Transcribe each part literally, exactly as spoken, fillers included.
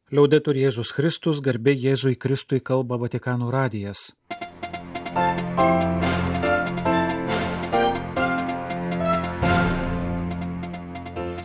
Liaudetur Jėzus Kristus, garbė Jėzui Kristui, kalba Vatikano radijas.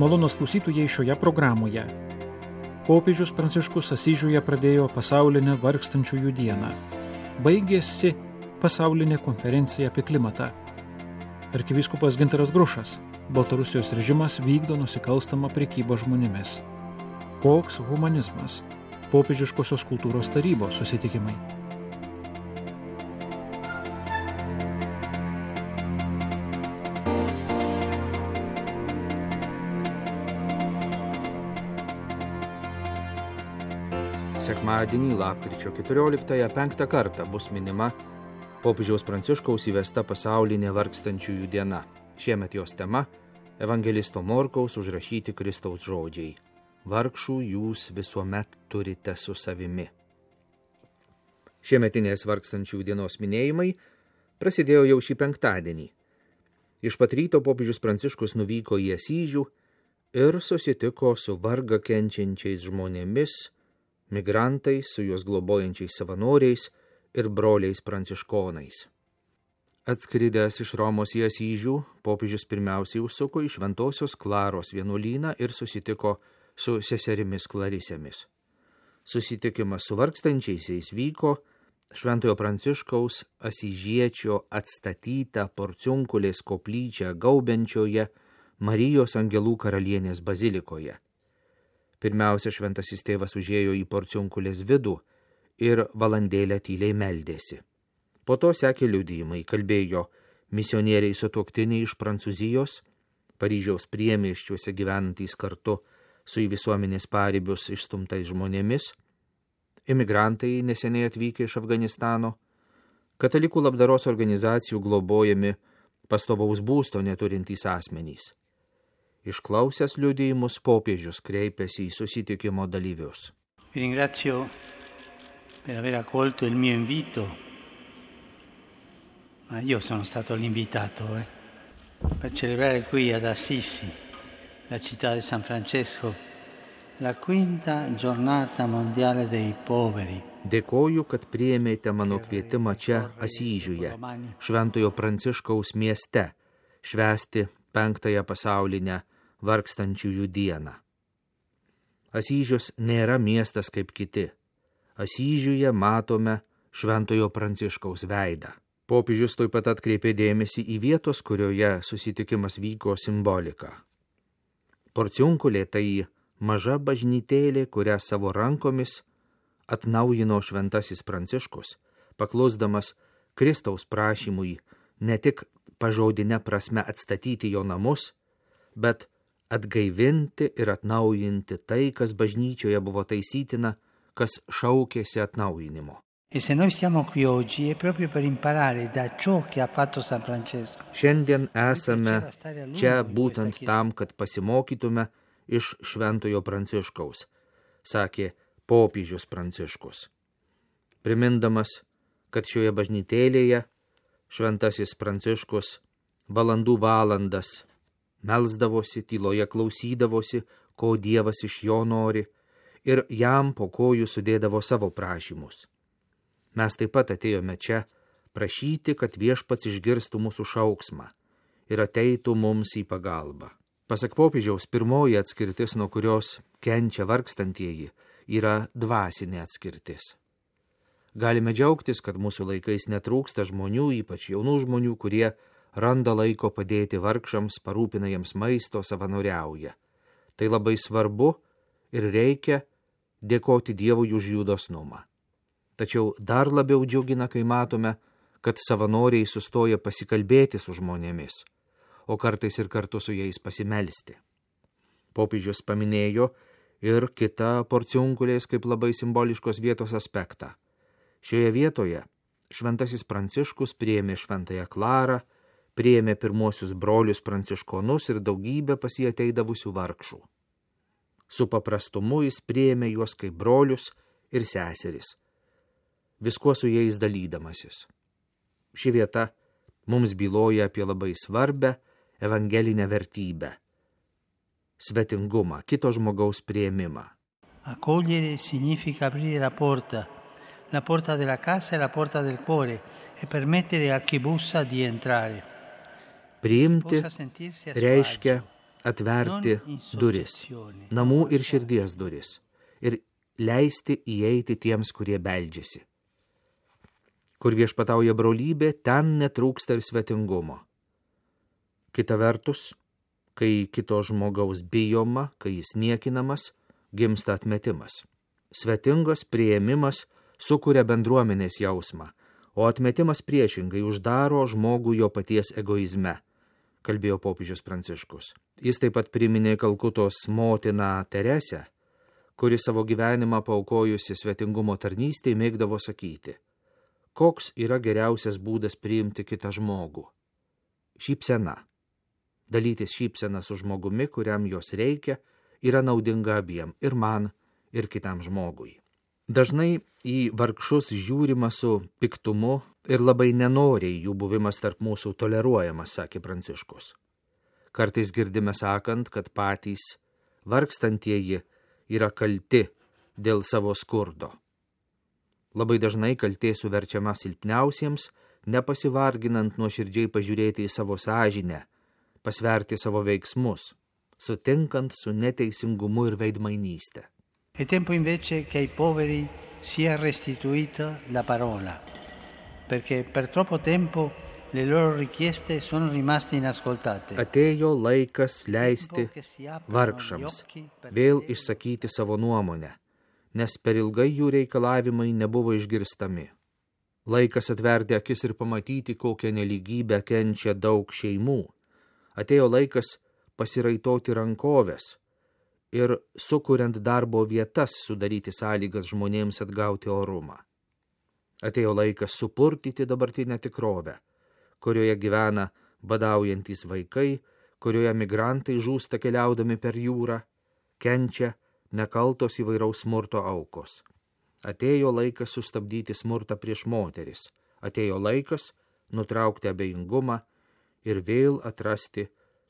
Malonūs klausytojai šioje programoje. Popiežius Pranciškus Asyžiuje pradėjo pasaulinę vargstančiųjų dieną. Baigėsi pasaulinė konferencija apie klimatą. Arkivyskupas Gintaras Grušas. Baltarusijos režimas vykdo nusikalstamą prekybą žmonėmis. Koks humanizmas? Popiežiškosios kultūros tarybos susitikimai. Sekmadienį, lapkričio keturioliktąją, penktą kartą bus minima popiežiaus Pranciškaus įvesta pasaulinė vargstančiųjų diena. Šiemet jos tema – evangelisto Morkaus užrašyti Kristaus žodžiai. Vargšų jūs visuomet turite su savimi. Šiemetinės vargstančių dienos minėjimai prasidėjo jau šį penktadienį. Iš pat ryto popiežius Pranciškus nuvyko į Asyžių ir susitiko su vargą kenčiančiais žmonėmis, migrantais, su juos globojančiais savanoriais ir broliais pranciškonais. Atskridęs iš Romos į Asyžių, popiežius pirmiausiai užsuko į Šventosios Klaros vienuolyną ir susitiko su seserimis Klarisėmis. Susitikimas su vargstančiaisiais vyko Šventojo Pranciškaus asyžiečio atstatytą Porciunkulės koplyčią gaubiančioje Marijos Angelų karalienės bazilikoje. Pirmiausia, šventasis tėvas užėjo į Porciunkulės vidų ir valandėlę tyliai meldėsi. Po to sekė liudijimai, kalbėjo misionieriai sutuoktiniai iš Prancūzijos, Paryžiaus priemiesčiuose gyvenantys kartu su į visuomenės paribius išstumtais žmonėmis, imigrantai neseniai atvykę iš Afganistano, katalikų labdaros organizacijų globojami pastovaus būsto neturintys asmenys. Išklausęs liudijimus, popiežius kreipėsi į susitikimo dalyvius. Vi ringrazio per aver accolto il mio invito, ma io sono stato l'invitato, eh, per celebrare qui ad Assisi, la città di San Francesco, la quinta giornata mondiale dei poveri. Dėkoju, kad priėmėte mano kvietimą čia Asyžiuje, Šventojo Pranciškaus mieste, švęsti penktąją pasaulinę vargstančiųjų dieną. Asyžius nėra miestas kaip kiti. Asyžiuje matome Šventojo Pranciškaus veidą. Popiežius taip pat atkreipė dėmesį į vietos, kurioje susitikimas vyko simboliką. Porciunkulė tai maža bažnytėlė, kurią savo rankomis atnaujino šventasis Pranciškus, paklusdamas Kristaus prašymui ne tik pažodine prasme atstatyti jo namus, bet atgaivinti ir atnaujinti tai, kas bažnyčioje buvo taisytina, kas šaukėsi atnaujinimo. E se noi siamo qui oggi è proprio per imparare da ciò che ha fatto San Francesco. Šiandien esame čia būtent tam, kad pasimokytume iš Šventojo Pranciškaus, sakė popiežius Pranciškus. Primindamas, kad šioje bažnytėlėje šventasis Pranciškus valandų valandas melsdavosi, tyloje klausydavosi, ko Dievas iš jo nori, ir jam po kojų sudėdavo savo prašymus. Mes taip pat atėjome čia prašyti, kad viešpats išgirstų mūsų šauksmą ir ateitų mums į pagalbą. Pasak popiežiaus, pirmoji atskirtis, nuo kurios kenčia vargstantieji, yra dvasinė atskirtis. Galime džiaugtis, kad mūsų laikais netrūksta žmonių, ypač jaunų žmonių, kurie randa laiko padėti vargšams, parūpina jiems maisto, savanoriauja. Tai labai svarbu ir reikia dėkoti Dievui už jų dosnumą. Tačiau dar labiau džiugina, kai matome, kad savanoriai sustoja pasikalbėti su žmonėmis, o kartais ir kartu su jais pasimelsti. Popiežius paminėjo ir kitą Porciunkulės kaip labai simboliškos vietos aspektą. Šioje vietoje šventasis Pranciškus priėmė Šventąją Klarą, priėmė pirmuosius brolius pranciškonus ir daugybę pas jį ateidavusių vargšų. Su paprastumu jis priėmė juos kaip brolius ir seseris, viskuo su jais dalydamasis. Ši vieta mums byloja apie labai svarbę evangelinę vertybę – svetingumą, kito žmogaus priėmimą. Accogliere significa aprire la porta, la porta della casa e la porta del cuore e permettere a chi bussa di entrare. Priimti reiškia atverti duris, namų ir širdies duris, ir leisti įeiti tiems, kurie beldžiasi. Kur viešpatauja brolybė, ten netrūksta ir svetingumo. Kita vertus, kai kito žmogaus bijoma, kai jis niekinamas, gimsta atmetimas. Svetingas priėmimas sukuria bendruomenės jausmą, o atmetimas priešingai uždaro žmogų jo paties egoizme, kalbėjo popiežius Pranciškus. Jis taip pat priminė Kalkutos motiną Teresę, kuri savo gyvenimą paaukojusi svetingumo tarnystėj mėgdavo sakyti: koks yra geriausias būdas priimti kitą žmogų? Šypsena. Dalytis šypsena su žmogumi, kuriam jos reikia, yra naudinga abiem, ir man, ir kitam žmogui. Dažnai į vargšus žiūrima su piktumu ir labai nenoriai jų buvimas tarp mūsų toleruojamas, sakė Pranciškus. Kartais girdime sakant, kad patys vargstantieji yra kalti dėl savo skurdo. Labai dažnai kaltė suverčiama silpniausiems, nepasivarginant nuoširdžiai pažiūrėti į savo sąžinę, pasverti savo veiksmus, sutinkant su neteisingumu ir veidmainystė. È tempo invece che ai poveri sia restituita la parola, perché per troppo tempo le loro richieste sono rimaste inascoltate. Atėjo laikas leisti vargšams vėl išsakyti savo nuomonę, nes per ilgai jų reikalavimai nebuvo išgirstami. Laikas atverti akis ir pamatyti, kokią nelygybę kenčia daug šeimų. Atėjo laikas pasiraitoti rankoves ir sukuriant darbo vietas sudaryti sąlygas žmonėms atgauti orumą. Atėjo laikas supurtyti dabartinę tikrovę, kurioje gyvena badaujantys vaikai, kurioje migrantai žūsta keliaudami per jūrą, kenčia nekaltos įvairaus smurto aukos. Atėjo laikas sustabdyti smurtą prieš moteris. Atėjo laikas nutraukti abejingumą ir vėl atrasti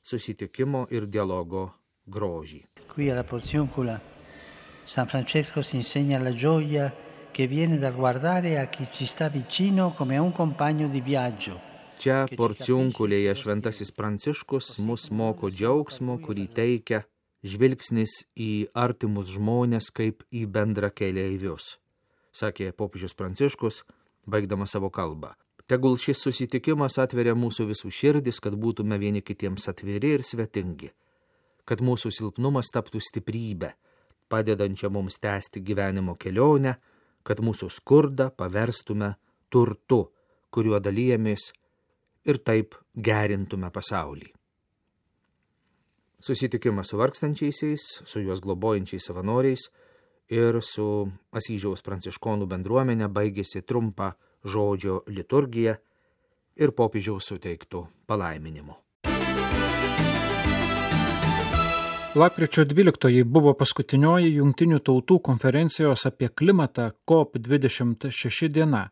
susitikimo ir dialogo grožį. Qui alla Porziuncula San Francesco si insegna la gioia che viene dal guardare a chi ci sta vicino come a un compagno di viaggio. Čia Porciunkulėje šventasis Pranciškus mus moko džiaugsmo, kurį teikia žvilgsnis į artimus žmonės kaip į bendra keleivius, sakė popiežius Pranciškus, baigdamas savo kalbą. Tegul šis susitikimas atveria mūsų visų širdis, kad būtume vieni kitiems atviri ir svetingi, kad mūsų silpnumas taptų stiprybę, padedančią mums tęsti gyvenimo kelionę, kad mūsų skurdą paverstume turtu, kuriuo dalyjamės ir taip gerintume pasaulį. Susitikimas su vargstančiaisiais, su juos globojančiais savanoriais ir su Asyžiaus pranciškonų bendruomenė baigėsi trumpą žodžio liturgiją ir popiežiaus suteiktų palaiminimu. Lapkričio dvyliktoji buvo paskutinioji Jungtinių tautų konferencijos apie klimatą C O P dvidešimt šeši diena.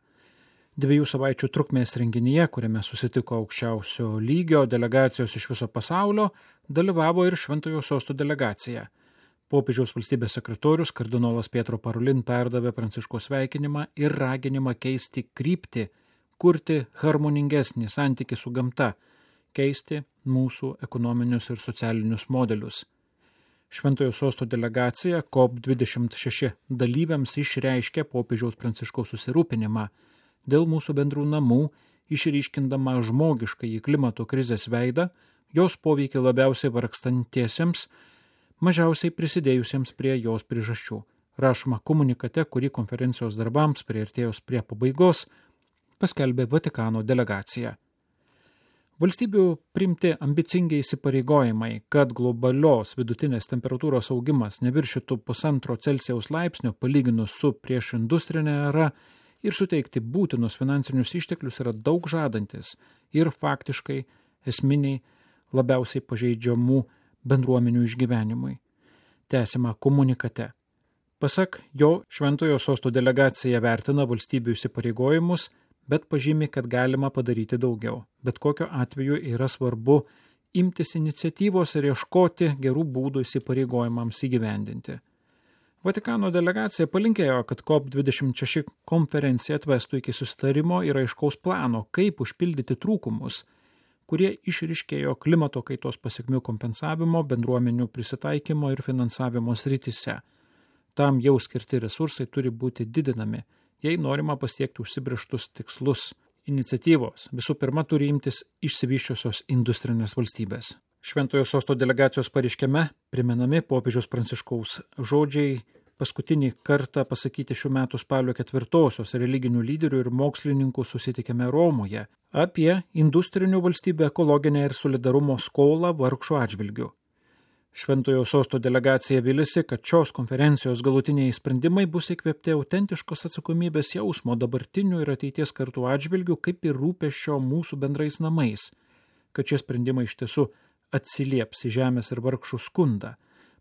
Dviejų savaičių trukmės renginyje, kuriame susitiko aukščiausio lygio delegacijos iš viso pasaulio, dalyvavo ir Šventojo Sosto delegacija. Popiežiaus valstybės sekretorius kardinolas Pietro Parolin perdavė Pranciškaus sveikinimą ir raginimą keisti kryptį, kurti harmoningesnį santykį su gamta, keisti mūsų ekonominius ir socialinius modelius. Šventojo Sosto delegacija C O P dvidešimt šeši dalyviams išreiškė popiežiaus Pranciškaus susirūpinimą dėl mūsų bendrų namų, išryškindama žmogišką į klimato krizės veidą, jos poveikį labiausiai vargstantiesiems, mažiausiai prisidėjusiems prie jos priežasčių. Rašoma komunikate, kurį konferencijos darbams priartėjus prie pabaigos paskelbė Vatikano delegacija. Valstybių priimti ambicingi įsipareigojimai, kad globalios vidutinės temperatūros augimas neviršytų pusantro Celsijaus laipsnio palyginus su prieš industrinė era ir suteikti būtinus finansinius išteklius yra daug žadantis ir faktiškai esminiai labiausiai pažeidžiamų bendruomenių išgyvenimui. Tęsiama komunikate. Pasak jo, Šventojo Sosto delegacija vertina valstybių įsipareigojimus, bet pažymi, kad galima padaryti daugiau. Bet kokiu atveju yra svarbu imtis iniciatyvos ir ieškoti gerų būdų įsipareigojimams įgyvendinti. Vatikano delegacija palinkėjo, kad C O P dvidešimt šeši konferencija atvestų iki susitarimo ir aiškaus plano, kaip užpildyti trūkumus, kurie išryškėjo klimato kaitos pasekmių kompensavimo, bendruomenių prisitaikymo ir finansavimo srityse. Tam jau skirti resursai turi būti didinami, jei norima pasiekti užsibrėžtus tikslus. Iniciatyvos visų pirma turi imtis išsivysčiusios industrinės valstybės. Šventojo sosto delegacijos pareiškime primenami popiežiaus Pranciškaus žodžiai paskutinį kartą pasakyti šių metų spalio ketvirtosios religinių lyderių ir mokslininkų susitikime Romoje apie industrinių valstybių ekologinę ir solidarumo skolą vargšų atžvilgių. Šventojo sosto delegacija vilisi, kad šios konferencijos galutiniai sprendimai bus įkvėpti autentiškos atsakomybės jausmo dabartinių ir ateities kartų atžvilgių, kaip ir rūpesčio mūsų bendrais namais, kad šie sprendimai iš tiesų atsilieps į žemės ir vargšų skundą.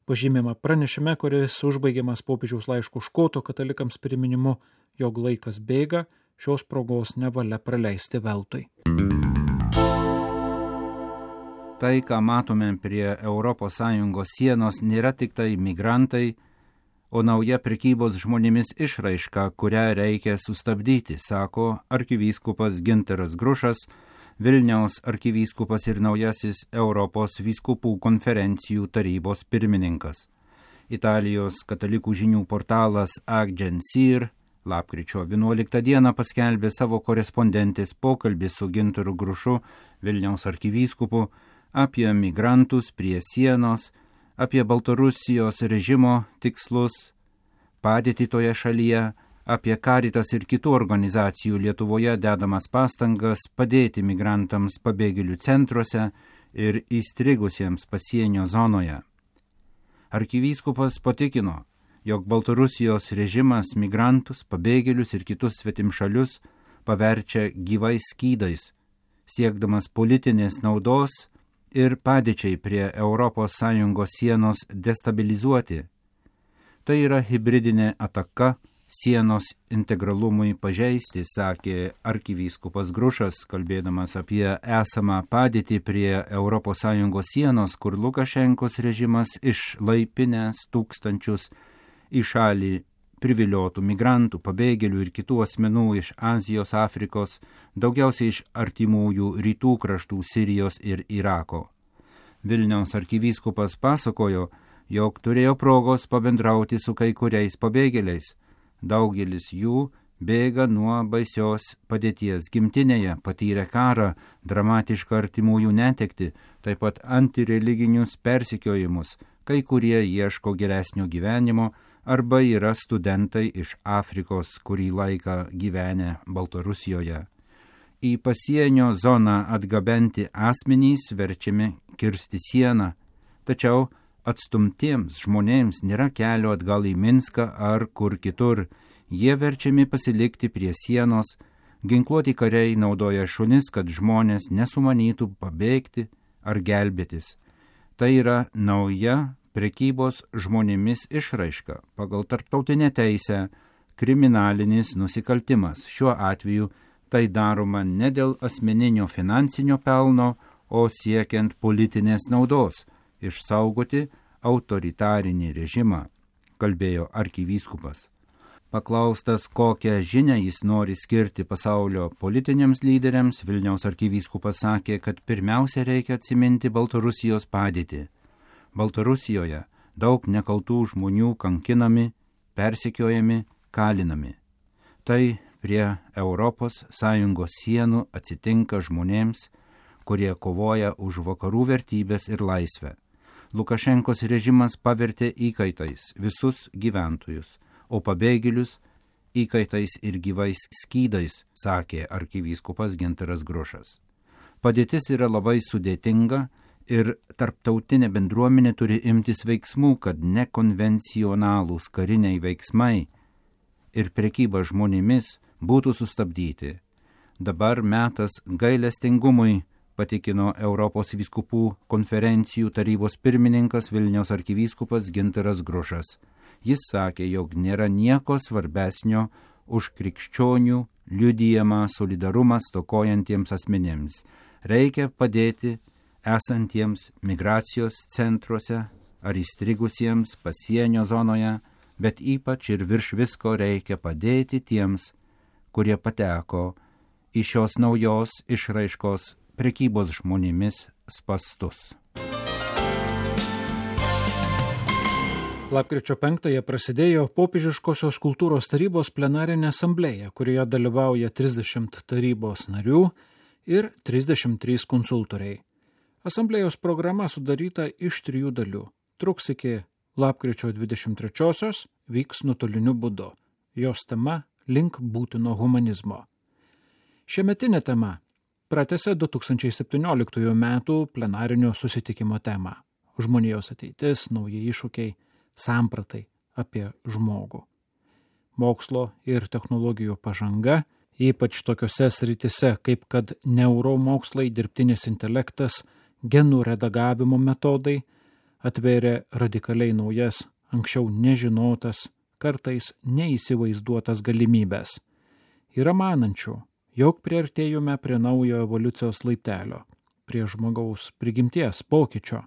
Pažymima pranešime, kuris užbaigiamas popiežiaus laiškų škoto katalikams priminimu, jog laikas bėga, šios progos nevalia praleisti veltui. Tai, ką matome prie Europos Sąjungos sienos, nėra tik tai migrantai, o nauja prekybos žmonėmis išraiška, kurią reikia sustabdyti, sako arkivyskupas Gintaras Grušas, Vilniaus arkivyskupas ir naujasis Europos vyskupų konferencijų tarybos pirmininkas. Italijos katalikų žinių portalas Agensir lapkričio vienuoliktą dieną paskelbė savo korespondentės pokalbį su Gintaru Grušu, Vilniaus arkivyskupu, apie migrantus prie sienos, apie Baltarusijos režimo tikslus, padėtį toje šalyje, apie Caritas ir kitų organizacijų Lietuvoje dedamas pastangas padėti migrantams pabėgėlių centruose ir įstrigusiems pasienio zonoje. Arkivyskupas patikino, jog Baltarusijos režimas migrantus, pabėgėlius ir kitus svetimšalius paverčia gyvais skydais, siekdamas politinės naudos ir padėčiai prie Europos Sąjungos sienos destabilizuoti. Tai yra hibridinė ataka sienos integralumui pažeisti, sakė arkivyskupas Grušas, kalbėdamas apie esamą padėtį prie Europos Sąjungos sienos, kur Lukašenkos režimas išlaipinęs tūkstančius į šalį priviliotų migrantų, pabėgėlių ir kitų asmenų iš Azijos, Afrikos, daugiausiai iš artimųjų rytų kraštų Sirijos ir Irako. Vilniaus arkivyskupas pasakojo, jog turėjo progos pabendrauti su kai kuriais pabėgėliais. Daugelis jų bėga nuo baisios padėties gimtinėje, patyrė karą, dramatišką artimųjų netekti, taip pat antireliginius persekiojimus, kai kurie ieško geresnio gyvenimo arba yra studentai iš Afrikos, kurį laiką gyvenę Baltarusijoje. Į pasienio zoną atgabenti asmenys verčiami kirsti sieną, tačiau atstumtiems žmonėms nėra kelio atgal į Minską ar kur kitur. Jie verčiami pasilikti prie sienos, ginkluoti kariai naudoja šunis, kad žmonės nesumanytų pabėgti ar gelbėtis. Tai yra nauja prekybos žmonėmis išraiška, pagal tarptautinę teisę kriminalinis nusikaltimas. Šiuo atveju tai daroma ne dėl asmeninio finansinio pelno, o siekiant politinės naudos, išsaugoti autoritarinį režimą, kalbėjo arkivyskupas. Paklaustas, kokią žinią jis nori skirti pasaulio politiniams lyderiams, Vilniaus arkivyskupas sakė, kad pirmiausia reikia atsiminti Baltarusijos padėtį. Baltarusijoje daug nekaltų žmonių kankinami, persekiojami, kalinami. Tai prie Europos Sąjungos sienų atsitinka žmonėms, kurie kovoja už vakarų vertybės ir laisvę. Lukašenkos režimas pavertė įkaitais visus gyventojus, o pabėgėlius įkaitais ir gyvais skydais, sakė arkivyskupas Gintaras Grušas. Padėtis yra labai sudėtinga ir tarptautinė bendruomenė turi imtis veiksmų, kad nekonvencionalūs kariniai veiksmai ir prekyba žmonėmis būtų sustabdyti. Dabar metas gailestingumui, patikino Europos vyskupų konferencijų tarybos pirmininkas Vilniaus arkivyskupas Gintaras Grušas. Jis sakė, jog nėra nieko svarbesnio už krikščionių liudijamą solidarumą stokojantiems asmenėms. Reikia padėti esantiems migracijos centruose ar įstrigusiems pasienio zonoje bet ypač ir virš visko reikia padėti tiems, kurie pateko į šios naujos išraiškos prekybos žmonėmis spastus. Lapkričio penktąją prasidėjo Popiežiškosios kultūros tarybos plenarinė asamblėja, kurioje dalyvauja trisdešimt tarybos narių ir trisdešimt trys konsultoriai. Asamblėjos programa sudaryta iš trijų dalių. Truks iki lapkričio dvidešimt trečiosios, vyks nuotoliniu būdu. Jos tema – link būtino humanizmo. Šiemetinė tema pratęsė du tūkstančiai septynioliktųjų metų plenarinio susitikimo temą. Žmonijos ateitis, nauji iššūkiai, sampratai apie žmogų. Mokslo ir technologijų pažanga, ypač tokiose sritise kaip kad neuromokslai, dirbtinis intelektas, genų redagavimo metodai, atvėrė radikaliai naujas, anksčiau nežinotas, kartais neįsivaizduotas galimybės. Yra manančių, jog priartėjome prie naujo evoliucijos laiptelio, prie žmogaus prigimties pokyčio.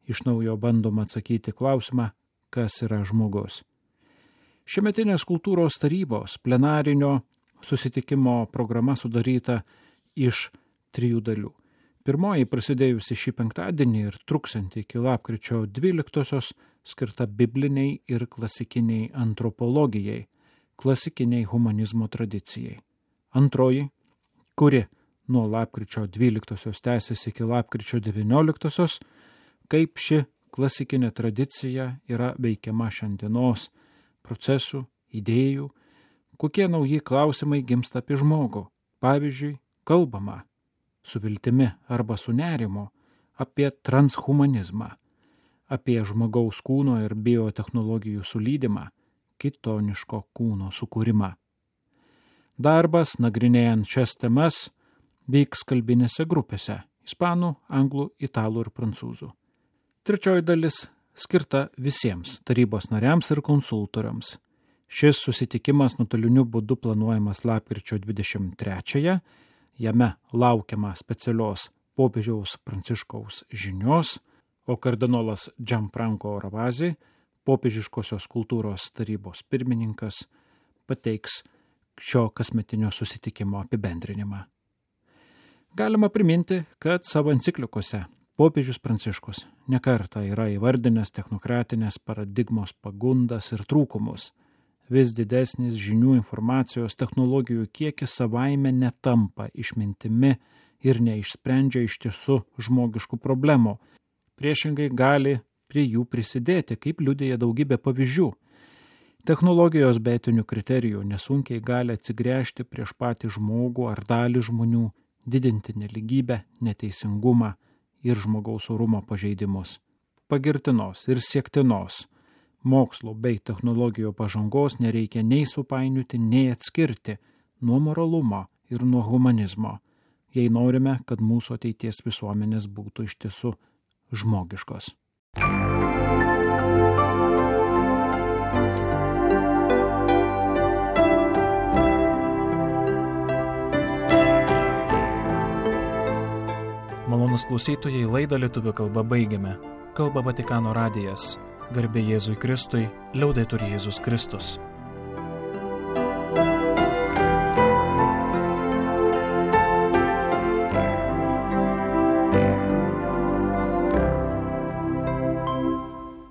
Iš naujo bandoma atsakyti klausimą, kas yra žmogus. Šiemetinės kultūros tarybos plenarinio susitikimo programa sudaryta iš trijų dalių. Pirmoji, prasidėjusi šį penktadienį ir truksianti iki lapkričio dvyliktosios, skirta bibliniai ir klasikiniai antropologijai, klasikiniai humanizmo tradicijai. Antroji, kuri nuo lapkričio dvyliktosios tęsiasi iki lapkričio devynioliktosios, kaip ši klasikinė tradicija yra veikiama šiandienos procesų, idėjų, kokie nauji klausimai gimsta apie žmogų. Pavyzdžiui, kalbama su viltimi arba su nerimu apie transhumanizmą, apie žmogaus kūno ir biotechnologijų sulydymą, kitoniško kūno sukūrimą. Darbas, nagrinėjant šias temas, vyks kalbinėse grupėse – ispanų, anglų, italų ir prancūzų. Trečioji dalis skirta visiems tarybos nariams ir konsultoriams. Šis susitikimas nuotoliniu būdu planuojamas lapkričio dvidešimt trečiąją, jame laukiama specialios popiežiaus Pranciškaus žinios, o kardinolas Gianfranco Ravasi, Popiežiškosios kultūros tarybos pirmininkas, pateiks šio kasmetinio susitikimo apibendrinimą. Galima priminti, kad savo enciklikose Popiežius Pranciškus nekartą yra įvardinęs technokratinės paradigmos pagundas ir trūkumus. Vis didesnis žinių, informacijos, technologijų kiekis savaime netampa išmintimi ir neišsprendžia iš tiesų žmogiškų problemų. Priešingai gali prie jų prisidėti, kaip liudija daugybė pavyzdžių. Technologijos be etinių kriterijų nesunkiai gali atsigręžti prieš patį žmogų ar dalį žmonių, didinti neligybę, neteisingumą ir žmogaus orumo pažeidimus. Pagirtinos ir siektinos mokslo bei technologijų pažangos nereikia nei supainioti, nei atskirti nuo moralumo ir nuo humanizmo, jei norime, kad mūsų ateities visuomenės būtų iš tiesų žmogiškos. Malonus klausytojai, laidą lietuvių kalba baigiame. Kalba Vatikano radijas. Garbė Jėzui Kristui, liaudetur Jėzus Kristus.